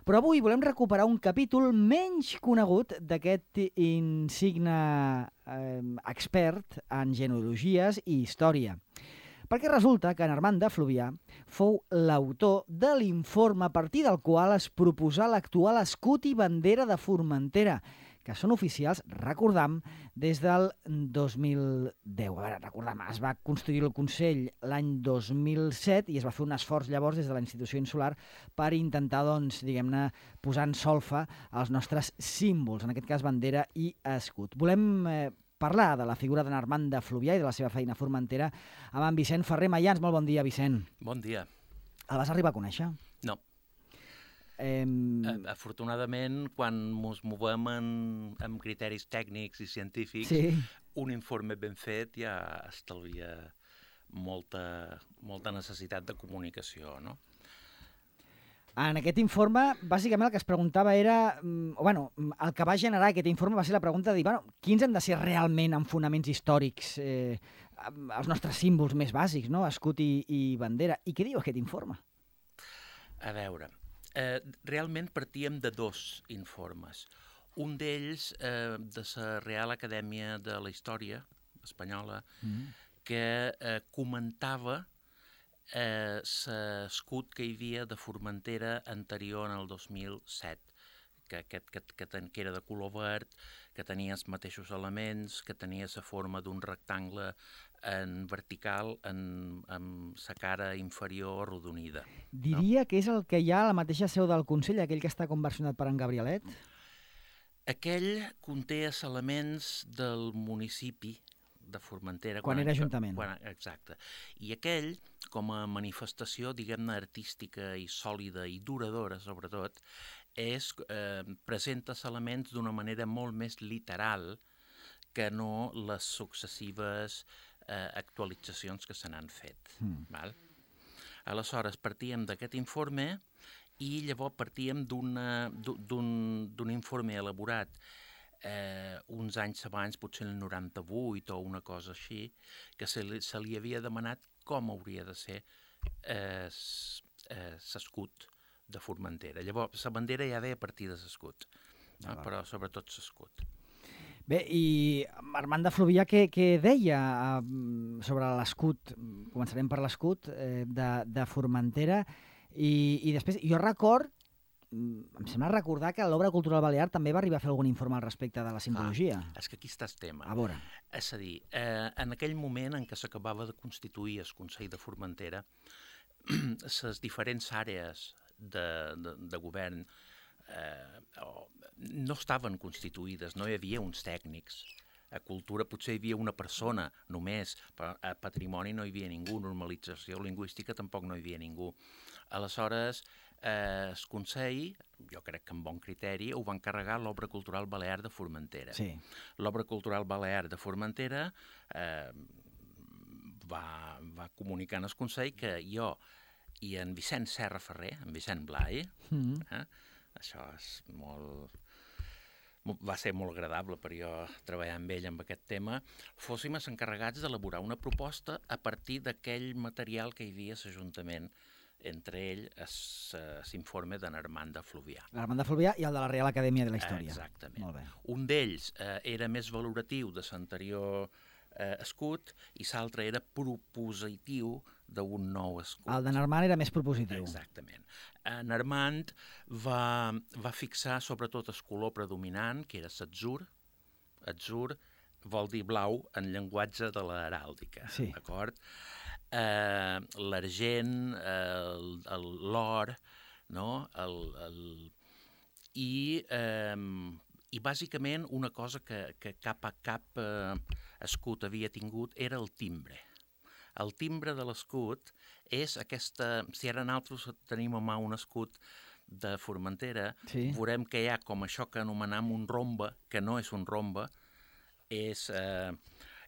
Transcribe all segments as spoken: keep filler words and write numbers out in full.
Però avui volem recuperar un capítol menys conegut d'aquest insigne eh, expert en genealogies i història. Perquè resulta que en Armand de Fluvià fou l'autor de l'informe a partir del qual es proposà l'actual escut i bandera de Formentera, que són oficials, recordam, des del dos mil deu. A veure, recordam, es va construir el Consell l'any dos mil set i es va fer un esforç llavors des de la institució insular per intentar, doncs, diguem-ne, posar en solfa els nostres símbols, en aquest cas bandera i escut. Volem eh, parlar de la figura d'en Armand de Fluvià i de la seva feina a Formentera amb en Vicent Ferrer Mayans. Molt bon dia, Vicent. Bon dia. El vas arribar a conèixer? No. Eh... Afortunadament, quan ens movem en, amb criteris tècnics i científics, sí. un informe ben fet ja estalvia molta, molta necessitat de comunicació, no? En aquest informe, bàsicament el que es preguntava era, o bueno, el que va generar aquest informe va ser la pregunta de dir, bueno, quins han de ser realment en fonaments històrics eh, els nostres símbols més bàsics, no? Escut i, i bandera. I què diu aquest informe? A veure, eh, realment partíem de dos informes. Un d'ells eh, de la Real Acadèmia de la Història Espanyola, mm. que eh, comentava Eh, l'escut que hi havia de Formentera anterior en el dos mil set, que, que, que, que, ten, que era de color verd, que tenia els mateixos elements, que tenia la forma d'un rectangle en vertical en, amb la cara inferior arrodonida. Diria no? que és el que hi ha a la mateixa seu del Consell, aquell que està conversionat per en Gabrielet? Aquell conté els elements del municipi de Formentera. Quan, quan era ajuntament. Quan, exacte. I aquell, com a manifestació, diguem-ne, artística i sòlida i duradora, sobretot, és, eh, presenta els elements d'una manera molt més literal que no les successives eh, actualitzacions que se n'han fet. Mm. Val? Aleshores, partíem d'aquest informe i llavors partíem d'un informe elaborat Eh, uns anys abans, potser el noranta-vuit o una cosa així, que se li, se li havia demanat com hauria de ser l'escut eh, de Formentera. Llavors, la bandera ja ve a partir de l'escut, no? Ah, però sobretot l'escut. Bé, i Armand de Fluvià, què, què deia eh, sobre l'escut? Començarem per l'escut eh, de, de Formentera i, i després, jo record em sembla recordar que l'Obra Cultural Balear també va arribar a fer algun informe al respecte de la simbologia. Ah, és que aquí està el tema. A veure. És a dir, eh, en aquell moment en què s'acabava de constituir el Consell de Formentera, les diferents àrees de, de, de govern eh, no estaven constituïdes, no hi havia uns tècnics. A cultura potser hi havia una persona només, però a patrimoni no hi havia ningú, normalització lingüística tampoc no hi havia ningú. Aleshores, eh, el Consell, jo crec que amb bon criteri, ho va encarregar l'Obra Cultural Balear de Formentera. Sí. L'Obra Cultural Balear de Formentera eh, va, va comunicar al Consell que jo i en Vicent Serra Ferrer, en Vicent Blai, mm-hmm. eh, això és molt... va ser molt agradable per jo treballar amb ell amb aquest tema, fóssim els encarregats d'elaborar una proposta a partir d'aquell material que hi havia a l'Ajuntament, entre ell l'informe d'en Armand de Fluvià. L'Armand de Fluvià i el de la Real Acadèmia de la Història. Exactament. Molt bé. Un d'ells eh, era més valoratiu de l'anterior eh, escut i l'altre era propositiu d'un nou escut. El d'en Armand era més propositiu. Exactament. En Armand va, va fixar sobretot el color predominant, que era l'atzur. Atzur vol dir blau en llenguatge de l'heràldica, sí. D'acord? Eh, l'argent, eh, l'or, no? El, el... I, eh, i bàsicament una cosa que, que cap a cap eh, escut havia tingut era el timbre. El timbre de l'escut és aquesta... Si ara nosaltres tenim a mà un escut de Formentera, sí. Veurem que hi ha com això que anomenem un rombe, que no és un rombe, és, eh,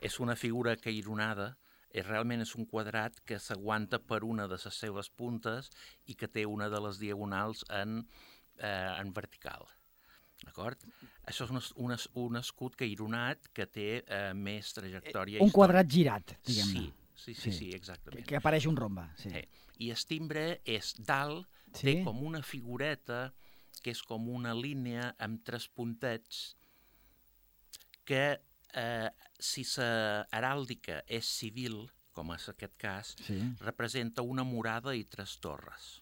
és una figura caironada, és, realment és un quadrat que s'aguanta per una de les seves puntes i que té una de les diagonals en, eh, en vertical. D'acord? Això és un, un, un escut caironat que té eh, més trajectòria un històrica. Quadrat girat, diguem-ne. Sí. Sí, sí, sí, sí, exactament. Que apareix un rombe, sí. sí. I el timbre és dalt, sí. Té com una figureta que és com una línia amb tres puntets que, eh, si la heràldica és civil, com és aquest cas, Sí. representa una murada i tres torres.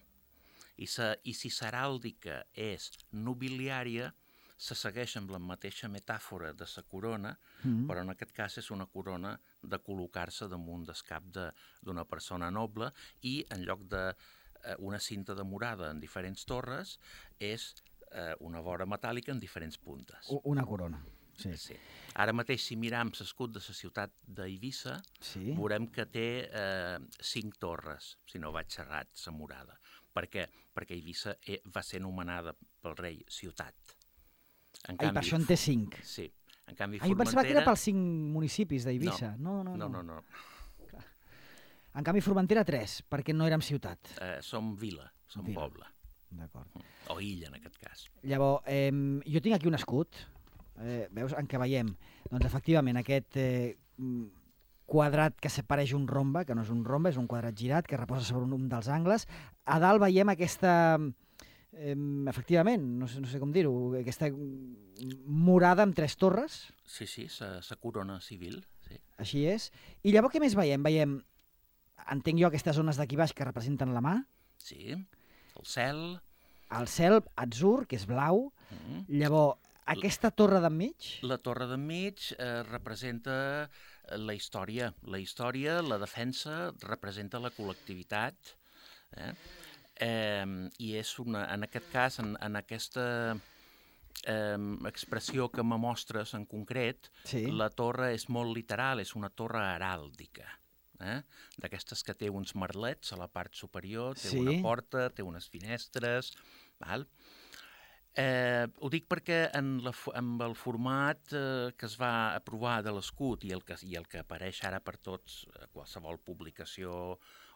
I, sa, i si l'heràldica és nobiliària, se segueix amb la mateixa metàfora de la corona, Mm. però en aquest cas és una corona de col·locar-se damunt del cap de- d'una persona noble i en lloc de eh, una cinta de murada en diferents torres és eh, una vora metàl·lica en diferents puntes. U- Una corona. Sí. Sí. Ara mateix, si miram l'escut de la ciutat d'Eivissa, Sí. veurem que té eh, cinc torres, si no vaig xerrat, la murada. Per què? Perquè Eivissa eh, va ser anomenada pel rei ciutat. En Ai, per això en té cinc. Sí. En canvi, Ai, pensava que era Formentera... pels cinc municipis d'Eivissa. No, no, no. No, no, no. En canvi, Formentera, tres, perquè no érem ciutat. Eh, som vila, som Vila. poble. D'acord. O illa, en aquest cas. Llavors, eh, jo tinc aquí un escut, eh, veus, en què veiem, doncs, efectivament, aquest eh, mm, quadrat que se pareix un rombe, que no és un rombe, és un quadrat girat, que reposa sobre un, un dels angles. A dalt veiem aquesta, eh, efectivament, no sé, no sé com dir-ho, aquesta mm, murada amb tres torres, Sí, sí, sa, sa corona civil. Sí. així és. I llavors què més veiem? Veiem, entenc jo, aquestes zones d'aquí baix que representen la mà, Sí. El cel... el cel atzur, que és blau, Mm. llavors, aquesta torre d'enmig, La torre d'enmig eh, representa la història. La història, la defensa, representa la col·lectivitat. Eh? Eh, I és una, en aquest cas, en, en aquesta eh, expressió que me mostres en concret, sí. la torre és molt literal, és una torre heràldica. Eh? D'aquestes que té uns merlets a la part superior, té Sí. una porta, té unes finestres... Val? Eh, ho dic perquè en, la, fo- amb el format eh, que es va aprovar de l'escut i, el que, i el que apareix ara per tots, eh, qualsevol publicació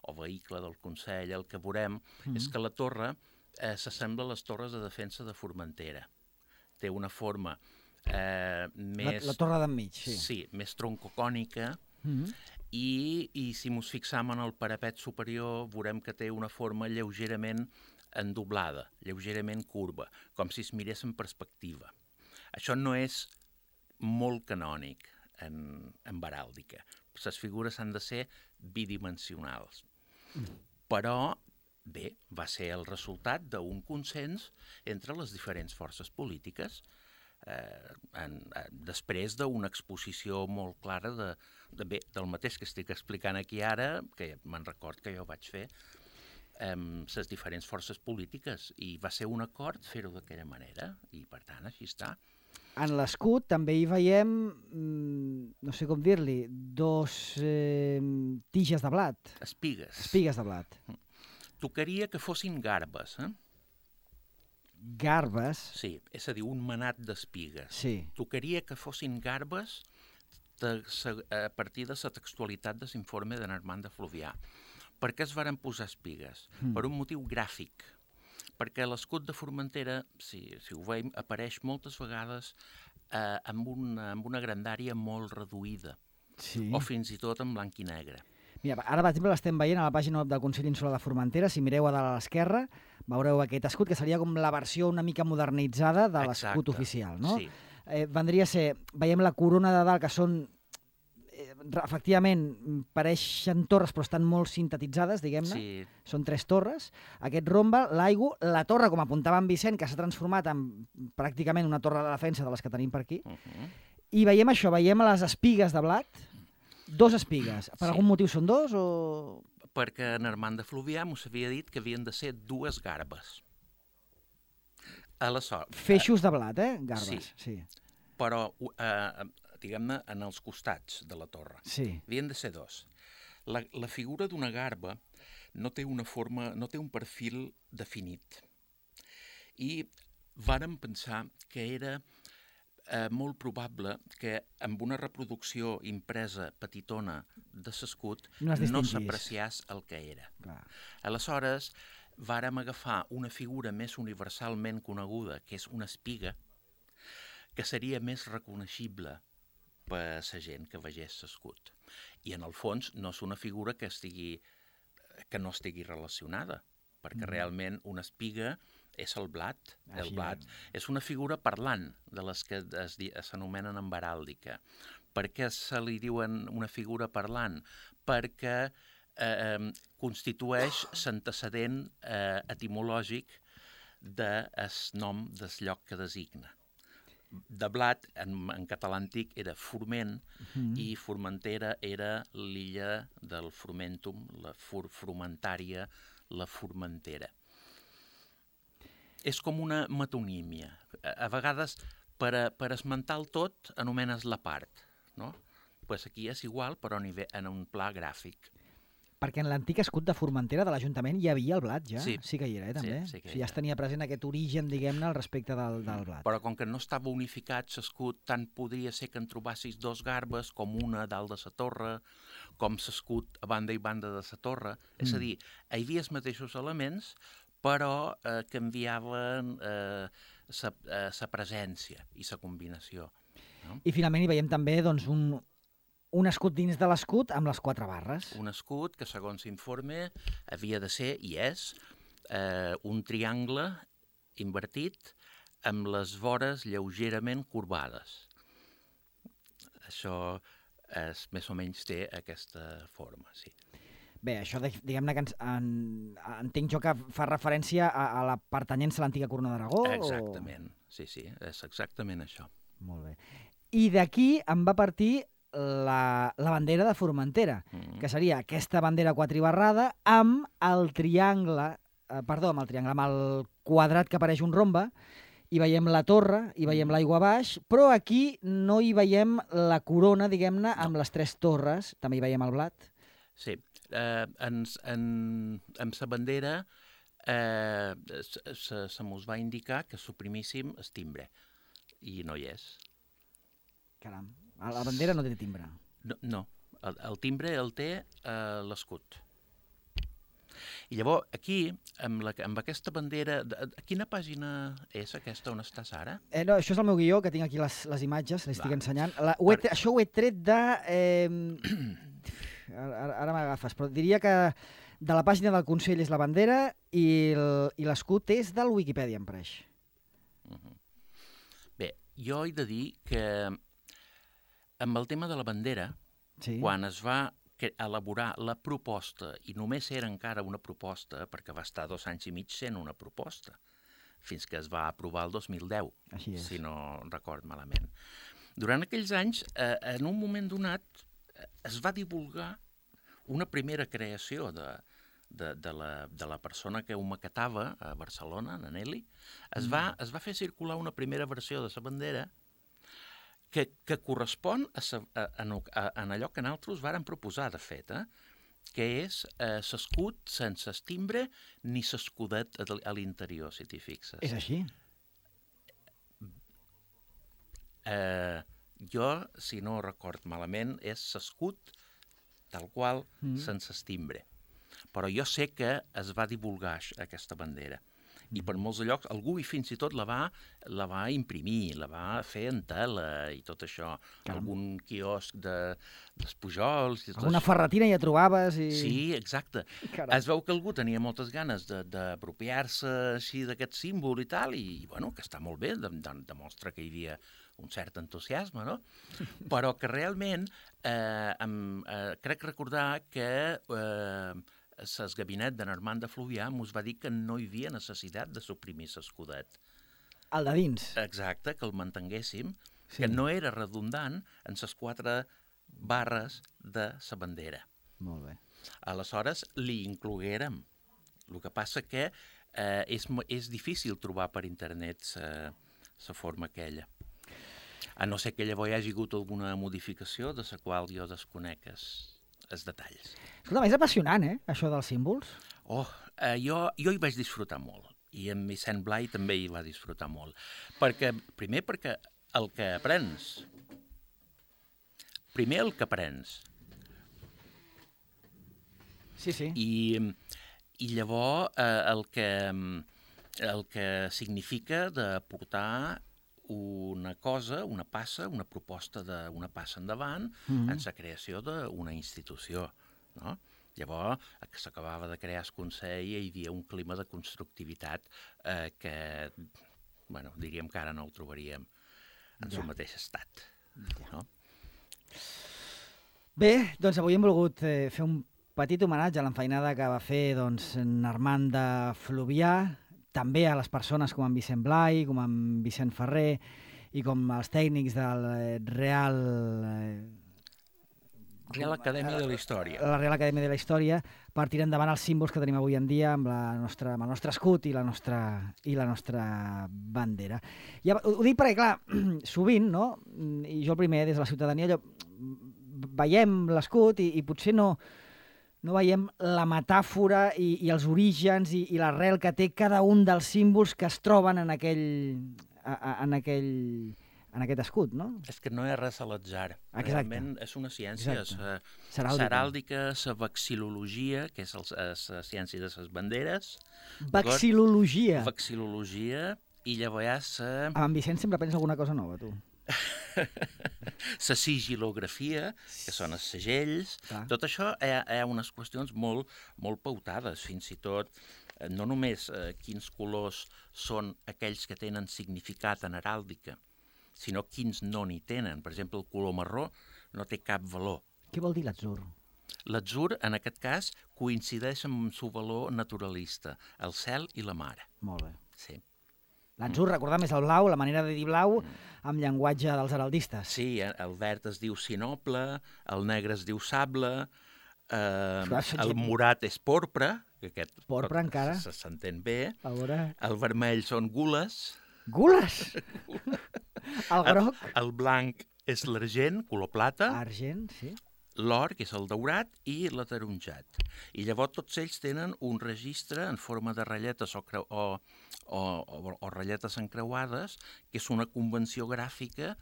o vehicle del Consell, el que veurem mm. és que la torre eh, s'assembla a les torres de defensa de Formentera. Té una forma eh, més... La, la torre d'enmig, sí. Sí, més troncocònica, Mm -hmm. i, i si mos fixam en el parapet superior veurem que té una forma lleugerament endoblada, lleugerament curva, com si es mirés en perspectiva. Això no és molt canònic en, en heràldica. Les figures han de ser bidimensionals. Mm. Però, bé, va ser el resultat d'un consens entre les diferents forces polítiques eh, en, en, després d'una exposició molt clara de, de, bé, del mateix que estic explicant aquí ara, que me'n record que jo vaig fer, amb les diferents forces polítiques, i va ser un acord fer-ho d'aquella manera, i per tant així està. En l'escut també hi veiem, mm, no sé com dir-li, dos eh, tiges de blat. Espigues. Espigues de blat. Tocaria que fossin garbes, eh? Garbes. Sí, és a dir, un manat d'espigues. Sí. Tocaria que fossin garbes de, a partir de la textualitat de l'informe de Armand de Fluvià. Per què es varen posar espigues? Mm. Per un motiu gràfic. Perquè l'escut de Formentera, si, si ho veiem, apareix moltes vegades eh, amb, una, amb una grandària molt reduïda, Sí. o fins i tot en blanc i negre. Mira, ara, per exemple, l'estem veient a la pàgina web del Consell Insular de Formentera. Si mireu a dalt a l'esquerra, veureu aquest escut, que seria com la versió una mica modernitzada de l'escut oficial, no? Sí. Eh, vendria a ser, veiem la corona de dalt, que són, eh, efectivament, pareixen torres, però estan molt sintetitzades, diguem-ne. Sí. Són tres torres. Aquest rombe, l'aigua, la torre, com apuntava en Vicent, que s'ha transformat en pràcticament una torre de defensa de les que tenim per aquí. Uh -huh. I veiem això, veiem les espigues de blat, dos espigues. Per Sí. algun motiu són dos o...? Perquè en Armand de Fluvià m'ho havia dit que havien de ser dues garbes. Aleshores, Feixos de blat, eh? Garbes. Sí. Sí. però, eh, diguem-ne, en els costats de la torre. Sí. Havien de ser dos. La, la figura d'una garba no té una forma, no té un perfil definit. I vàrem pensar que era eh, molt probable que amb una reproducció impresa petitona de l'escut No es no distingís. s'apreciés el que era. Clar. Aleshores, vàrem agafar una figura més universalment coneguda, que és una espiga, que seria més reconeixible per la gent que vegés l'escut. I en el fons no és una figura que estigui que no estigui relacionada, perquè mm. realment una espiga és el blat. Així El blat és. és una figura parlant, de les que es di- s'anomenen en heràldica. Per què se li diuen una figura parlant? Perquè eh, constitueix l'antecedent eh, etimològic del nom del lloc que designa. De blat, en, en català antic, era Forment, Mm. i Formentera era l'illa del Formentum, la for Formentària, la Formentera. És com una metonímia. A, a vegades, per, a, per esmentar el tot, anomenes la part, no? Pues aquí és igual, però a nivell, en un pla gràfic. Perquè en l'antic escut de Formentera de l'Ajuntament hi havia el blat, ja? Sí. Sí que hi era, eh, també? Sí, sí que O hi sigui, ja era. es tenia present aquest origen, diguem-ne, al respecte del, del blat. Però com que no estava unificat l'escut, tant podria ser que en trobassis dos garbes, com una dalt de la torre, com l'escut a banda i banda de la torre. Mm. És a dir, hi havia els mateixos elements, però eh, canviaven la eh, eh, presència i la combinació. No? I finalment hi veiem també doncs, un, un escut dins de l'escut amb les quatre barres. Un escut que, segons l'informe, havia de ser, i és, eh, un triangle invertit amb les vores lleugerament corbades. Això és, més o menys té aquesta forma, sí. Bé, això, de- diguem-ne que ens, en, entenc jo que fa referència a, a la pertanyència a l'antiga Corona d'Aragó? Exactament, sí, sí, és exactament això. O... Molt bé. I d'aquí en va partir la, la bandera de Formentera, Mm. que seria aquesta bandera quatribarrada amb el triangle, eh, perdó, amb el triangle, amb el quadrat que apareix un rombe, hi veiem la torre, hi veiem Mm. l'aigua baix, però aquí no hi veiem la corona, diguem-ne, amb les tres torres, també hi veiem el blat. Sí, eh, ens, en, amb la bandera eh, se, se, se mos va indicar que suprimíssim el timbre, i no hi és. Caram, la bandera no té timbre. No, no. El, el timbre el té eh, l'escut. I llavors, aquí, amb, la, amb aquesta bandera... De, a quina pàgina és aquesta on estàs ara? Eh, no, això és el meu guió, que tinc aquí les, les imatges, les estic Va. ensenyant. La, ho he, Per- Això ho he tret de... Eh, ara ara m'agafes, però diria que de la pàgina del Consell és la bandera i el- i l'escut és del Wikipedia, em pareix. Uh -huh. Bé, jo he de dir que amb el tema de la bandera, Sí. quan es va que- elaborar la proposta, i només era encara una proposta, perquè va estar dos anys i mig sent una proposta, fins que es va aprovar el dos mil deu, Així és. si no record malament. Durant aquells anys, eh, en un moment donat, eh, es va divulgar una primera creació de, de, de, la, de la persona que ho maquetava a Barcelona, en Nelly. Es, va, es va fer circular una primera versió de la bandera que, que correspon a, sa, a, a, a, a allò que nosaltres vàrem proposar, de fet, eh? Que és eh, l'escut sense el timbre ni l'escudet a, a l'interior, si t'hi fixes. És així? Eh, jo, si no record malament, és l'escut tal qual, mm. sense el timbre. Però jo sé que es va divulgar aix- aquesta bandera. I per molts llocs, algú i fins i tot la va, la va imprimir, la va fer en tela i tot això. Caram. Algun quiosc de, dels Pujols... I tot Alguna això. ferretina ja trobaves i... Sí, exacte. Caram. Es veu que algú tenia moltes ganes de- d'apropiar-se així d'aquest símbol i tal, i, i bueno, que està molt bé, de, de, demostra que hi havia un cert entusiasme, no? Però que realment eh, em, eh, crec recordar que eh, el gabinet de Normand de Fluvià mos va dir que no hi havia necessitat de suprimir l'escudet. El de dins. Exacte, que el mantenguéssim, Sí. que no era redundant en les quatre barres de la bandera. Molt bé. Aleshores, li incloguérem. El que passa que eh, és, mo- és difícil trobar per internet la forma aquella. A no ser que llavors hi hagi hagut alguna modificació de la qual jo desconec els, els detalls. Escolta, és apassionant, eh, això dels símbols. Oh, eh, jo, jo hi vaig disfrutar molt. I en Vicent Blai també hi va disfrutar molt. Perquè, primer perquè el que aprens... Primer el que aprens. Sí, sí. I, i llavors eh, el, que, el que significa de portar una cosa, una passa, una proposta d'una passa endavant Mhm. en la creació d'una institució, no? Llavors, que s'acabava de crear el Consell i hi havia un clima de constructivitat eh, que, bueno, diríem que ara no el trobaríem en el Ja. mateix estat. Ja. No? Bé, doncs avui hem volgut eh, fer un petit homenatge a l'enfeinada que va fer doncs, Armand de Fluvià, també a les persones com en Vicent Blai, com en Vicent Ferrer i com els tècnics del eh, Real... Eh, Real Acadèmia de la Història. la Real Acadèmia de la Història, per tirar endavant els símbols que tenim avui en dia amb, la nostra, amb el nostre escut i la nostra, i la nostra bandera. Ja, ho, ho dic perquè, clar, sovint, no? I jo el primer, des de la ciutadania, allò, veiem l'escut i, i potser no, no veiem la metàfora i, i els orígens i, i l'arrel que té cada un dels símbols que es troben en aquell, a, a, en aquell, en aquest escut, no? És que no és res a l'atzar. Exacte. Realment és una ciència. Exacte. És Seràldica. seràldica, la vexil·lologia, que és la ciència de les banderes. Vexil·lologia. Vexil·lologia, i llavors la... Amb en Vicent sempre pensa alguna cosa nova, tu. la sigilografia, que són els segells. Clar. Tot això hi ha, hi ha unes qüestions molt, molt pautades, fins i tot eh, no només eh, quins colors són aquells que tenen significat en heràldica, sinó quins no n'hi tenen. Per exemple, el color marró no té cap valor. Què vol dir l'atzur? L'atzur, en aquest cas, coincideix amb el seu valor naturalista, el cel i la mar. Molt bé. Sí. L'atzur, recordem, és el blau, la manera de dir blau, amb llenguatge dels heraldistes. Sí, el verd es diu sinople, el negre es diu sable, eh, el morat és porpra, que aquest Porpra, pot- encara. se- s'entén bé, A veure... el vermell són gules, Gules! El el, groc, el blanc és l'argent, color plata, argent, sí. l'or, que és el daurat, i l'ataronjat. I llavors tots ells tenen un registre en forma de ratlletes o, creu, o, o, o, o ratlletes encreuades, que és una convenció gràfica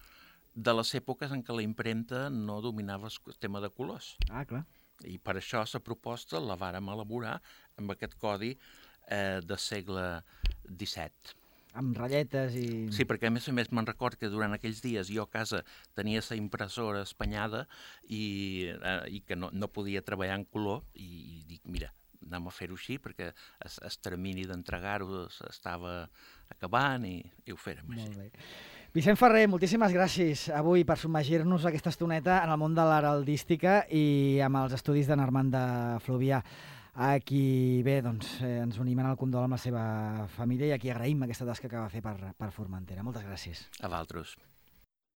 de les èpoques en què la impremta no dominava el tema de colors. Ah, clar. I per això la proposta la vàrem elaborar amb aquest codi eh, del segle disset. Amb ratlletes i... Sí, perquè a més a més me'n record que durant aquells dies jo a casa tenia la impressora espanyada i, eh, i que no, no podia treballar en color i, i dic, mira, anem a fer-ho així perquè el, el termini d'entregar-ho estava acabant i, i ho fèrem així. Molt bé. Vicent Ferrer, moltíssimes gràcies avui per submergir-nos aquesta estoneta en el món de l'heraldística i amb els estudis de Armand de Fluvià. A qui, bé, doncs, eh, ens unim en el condol amb la seva família i a qui agraïm aquesta tasca que va fer per, per Formentera. Moltes gràcies. A vosaltres.